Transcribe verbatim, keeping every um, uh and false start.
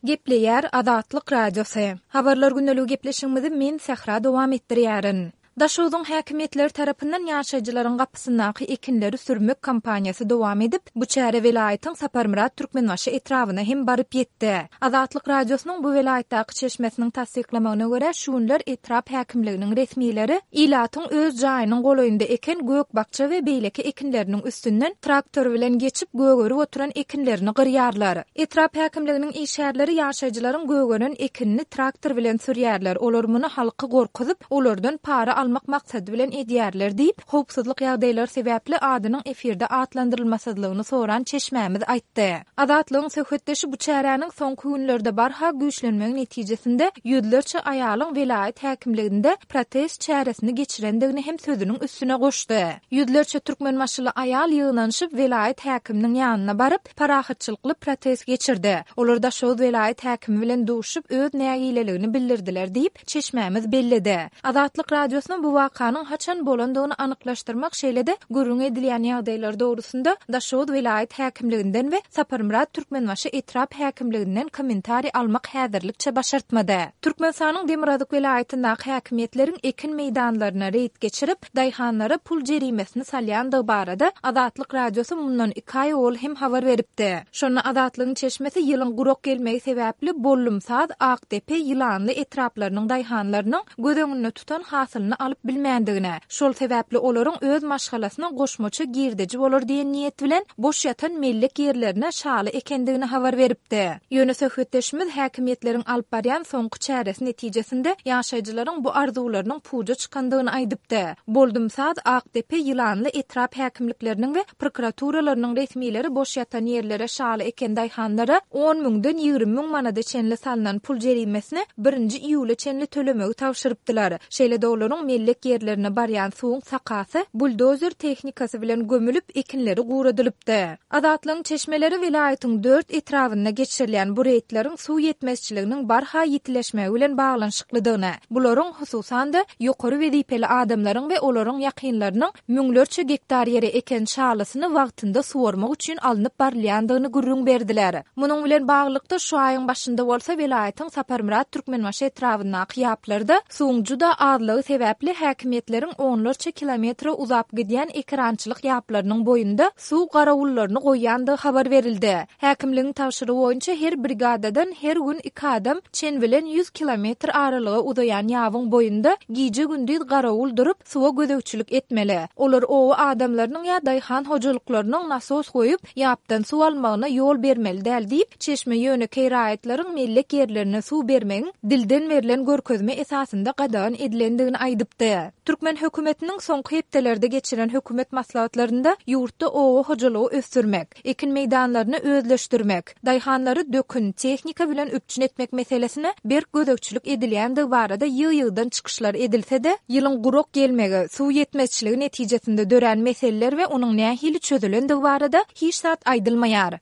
Gepleýär Azatlyk Radiosy. Habarlar gündeligi gepleşigimizi men Sähra dowam etdirýärin. Daşogzuň häkimiýetleri tarapyndan ýaşaýjylaryň gapysyndaky ekinleri sürmek kampaniýasy dowam edip, bu çäre welaýatyň Saparmyrat Türkmenbaşy etrabyna hem baryp ýetdi. Azatlyk Radiosynyň bu welaýatdaky çeşmesiniň tassyklamagyna görä, şu günler etrap häkimliginiň resmileri ilatyň öz jaýynyň golaýynda eken gök-bakja we beýleki ekinleriniň üstünden traktor bilen geçip gögerip oturan ekinlerini gyrýarlar. Etrap häkimliginiň işgärleri ýaşaýjylaryň gögeren ekinini traktor bilen sürýärler. Olar muny halky gorkuzyp, olardan para almak maksady bilen edýärler diýip, howpsuzlyk ýagdaýlary sebäpli adynyň efirde atlandyrylmasyzlygyny soran çeşmämiz aýtdy. Azatlygyň söhbetdeşi bu çäräniň soňky günlerde barha güýçlenmegi netijesinde ýüzlerçe aýalyň welaýat häkimliginde protest çäresini geçirendigini hem sözüniň üstüne goşdy. Ýüzlerçe türkmenbaşyly aýal ýygnanyşyp welaýat häkiminiň ýanyna baryp, parahatçylykly protest geçirdi. Olar Daşoguz welaýat häkimi bilen duşup öz nägileligini bildirdiler diýip, çeşmämiz belledi. Azatlyk Radiosyna bu wakanyň haçan bolandygyny anyklaşdyrmak şeýle-de gürrüň edilýän ýagdaýlar dogrusynda Daşoguz welaýat häkimliginden we Saparmyrat Türkmenbaşy etrap häkimliginden kommentariý almak häzirlikçe başartmady. Türkmenistanyň Demirgazyk welaýatyndaky häkimiýetleriň ekin meýdanlaryna reýd geçirip, daýhanlara pul jerimesini salýandygy barada Azatlyk Radiosy mundan iki aý owal hem habar beripdi. Şonda Azatlygyň çeşmesi ýylyň gurak gelmegi sebäpli Bollumsaz, Akdepe, Ýylanly etraplarynyň daýhanlarynyň göz öňünde tutan hasylyny alyp bilmändigini, şol sebäpli olaryň öz maşgalasyna goşmaça girdeji bolar diýen niýet bilen boş ýatan mellek ýerlerine şaly ekendigini habar beripdi. Ýöne söhbetdeşimiz häkimiýetleriň alyp barýan soňky çäresi netijesinde ýaşaýjylaryň bu arzuwlarynyň puja çykandygyny aýdypdy. Boldumsaz, Akdepe, Ýylanly etrap häkimlikleriniň we prokuraturalarynyň resmileri boş ýatan ýerlere şaly eken daýhanlara on müňden ýigrimi müň manada çenli salnan pul jerimesini birinji iýula çenli tölemegi tabşyrypdylar. Şeýle-de olaryň mellek ýerlerine barýan suwuň sakasy buldozer tehnikasy bilen gömülip, ekinleri guradylypdy. Azatlygyň çeşmeleri welaýatyň dört etrabynda geçirilýän bu reýdleriň suw ýetmezçiliginiň barha ýitileşmegi bilen baglanyşyklydygyny, bularyň hususan-da ýokary wezipeli adamlaryň we olaryň ýakynlarynyň müňlerçe gektar ýere eken şalysyny wagtynda suwarmak üçin alnyp barylýandygyny gürrüň berdiler. Munuň bilen baglylykda şu aýyň başynda bolsa welaýatyň Saparmyrat Türkmenbaşy etrabyndaky ýaplarda suwuň juda azlygy sebäpli häkimiýetleriň onlarça kilometre uzap gidýän ekerançylyk ýaplarynyň boýunda suw garawullaryny goýýandygy habar berildi. Häkimligiň tabşyrygy boýunça her brigadadan her gün iki adam çen bilen ýüz kilometr aralyga uzaýan ýabyň boýunda gije-gündiz garawul durup, suwa gözegçilik etmeli. Olar oba adamlarynyň ýa daýhan hojalyklarynyň nasos goýup, ýapdan suw almagyna ýol bermeli däl diýip, çeşme ýönekeý raýatlaryň mellek ýerlerine suw bermegiň dilden berlen görkezme esasynda gadagan edilendigini aýdypdy. Türkmen hökümetiniň soňky hepdelerde geçiren hökümet maslahatlarynda ýurtda oba hojalygy ösdürmek, ekin meýdanlaryny özleşdirmek, daýhanlary dökün, tehnika bilen üpjün etmek meselesine berk gözegçilik edilýändigi barada ýygy-ýygydan çykyşlar edilse-de, ýylyň gurak gelmegi, suw ýetmezçiligi netijesinde dörän meseleler we onuň nähili çözülendigi barada hiç zat aýdylmaýar.